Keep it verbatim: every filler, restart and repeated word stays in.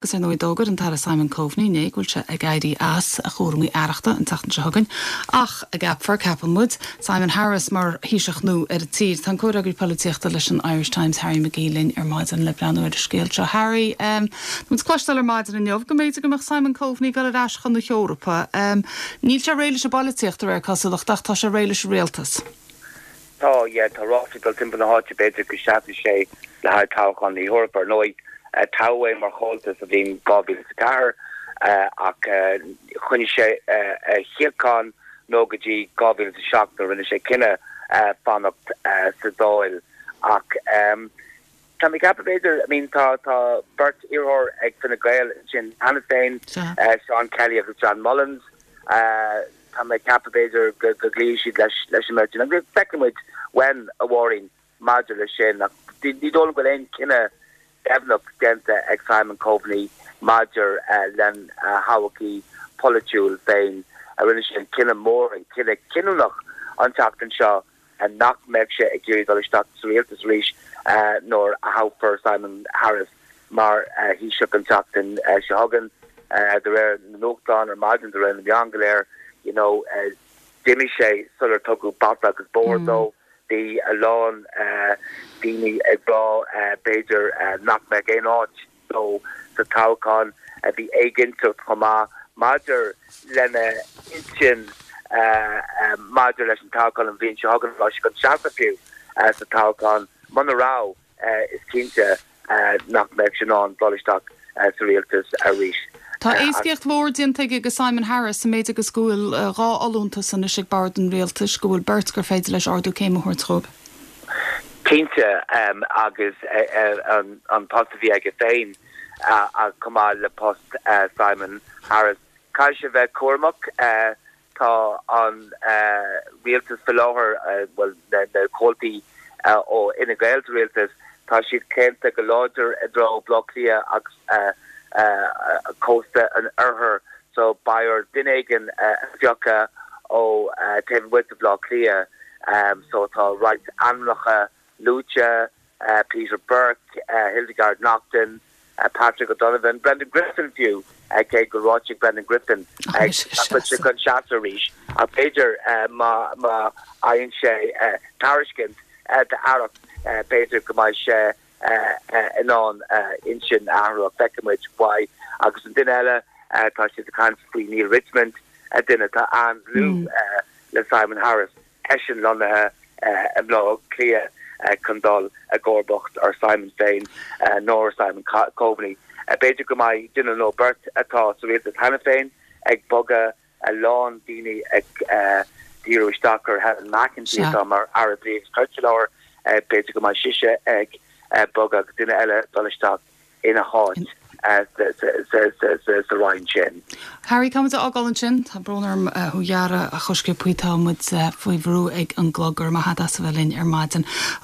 Agus ar ndóigh d'fhógair an tAire Simon Coveney inné go bhfuil sé ag éirí as a chúraimí aireachta an tseachtain seo chugainn ach a gceapfar ceapann muid Simon Harris mar Thaoiseach nua ar an tír. Tá an comhfhreagraí polaitíochta leis an Irish Times Harry McGee linn ar maidin le breathnú ar an scéal seo. Harry um, Muid cloisteáil ar maidin inniu go mb'fhéidir go mbeadh Simon Coveney ag dul ar ais chun na hEorpa. Um, Níl sé réidh leis an bpolaitíocht ar cosúlacht ach tá sé réidh leis an rialtas. Tá tá ráflaí ag dul timpeall na háite b'fhéidir go seasfaidh sé le haghaidh toghchán na hEorpa ar ndóigh toghadh é mar chomhalta sa bhliain dhá mhíle ceathair ach choinnigh sé a shuíochán nó go dtí dhá mhíle seacht nuair rinne sé cinneadh fanacht sa Dáil ach Tá mé ag ceapadh b'fhéidir I mean tá tá beirt iarrthóir ag Fine Gael sin cheana féin Sean Kelly agus John Mullins Tá mé ag ceapadh b'fhéidir go gcloífidh siad leis leis an mbeirt agus feicfimid when a Mháirín maidir leis sin ach ní dóigh go aon cinneadh deimhneach déanta ag Simon Coveney maidir lena thodhchaí polaitiúil féin a rinne sé an cinneadh mór an cinneadh cinniúnach an tseachtain seo nach mbeadh sé ag iarraidh dul isteach sa rialtas arís nuair a thoghfar Simon Harris mar Thaoiseach an tseachtain seo chugainn de réir na nuachtán ar maidin de réir na meán go léir you know d'imigh sé sular tugadh bata agus bóthar dó bhí a lán daoine ag rá b'fhéidir nach mbeadh aon áit dó sa toghchán a bhí éiginnteacht chomh maith maidir lena intinn maidir leis an toghchán an bhliain seo chugainn leis an seasamh fiú sa toghchán muna raibh is cinnte nach mbeadh sé in ann dul isteach sa rialtas arís. Tá éascaíocht mhór déanta aige Simon Harris sa méid agus go bhfuil dhá fholúntas anois ag bord an rialtais go bhfuil beirt gur féidir leis ardú céime a thabhairt dóibh. Cinnte um, agus uh, an, an post a bhí aige féin uh, chomh maith le post uh, Simon Harris. Caithfidh sé bheith cúramach uh, tá an uh, rialtas faoi láthair uh, well, na, na comhaltaí uh, ó Fhine Gael sa rialtas tá siad claonta go láidir i dtreo Baile Átha Cliath agus uh, uh, cósta an oirthir so beidh air duine éigin uh, a phiocadh ó uh, taobh amuigh de Bhaile Átha Cliath um, so tá roinnt ainmneacha luaite uh, Peter Burke, uh, Hildegard Naughton, uh, Patrick O'Donovan, Brendan Griffin fiú uh, cé gur ráite Brendan Griffin chun seasamh arís a b'fhéidir uh, má má fhaigheann sé uh, tairiscint uh, d'aireacht uh, b'fhéidir go mbeidh sé in ann intinn a athrú feicfimid why agus an duine eile tá siad ag caint faoi Neale Richmond a duine atá an-dlúth le Simon Harris eisean lonnaithe i mBaile Átha Cliath chun dul i gcomharbacht ar Simon féin nó Simon Coveney. B'fhéidir go mbeidh duine nó beirt atá sa rialtas cheana féin ag bogadh a lán daoine ag díriú isteach ar Helen McEntee atá mar Aire Dlí agus Cirt, b'fhéidir go mbeidh sise ag bogadh duine eile dul isteach ina háit sa roinn sin. Harry tá ágáil ansin tá brón orm thú a ghearradh a choisce tá muid faoi bhrú ag an gclog ar maith as a bheith linn ar maidin.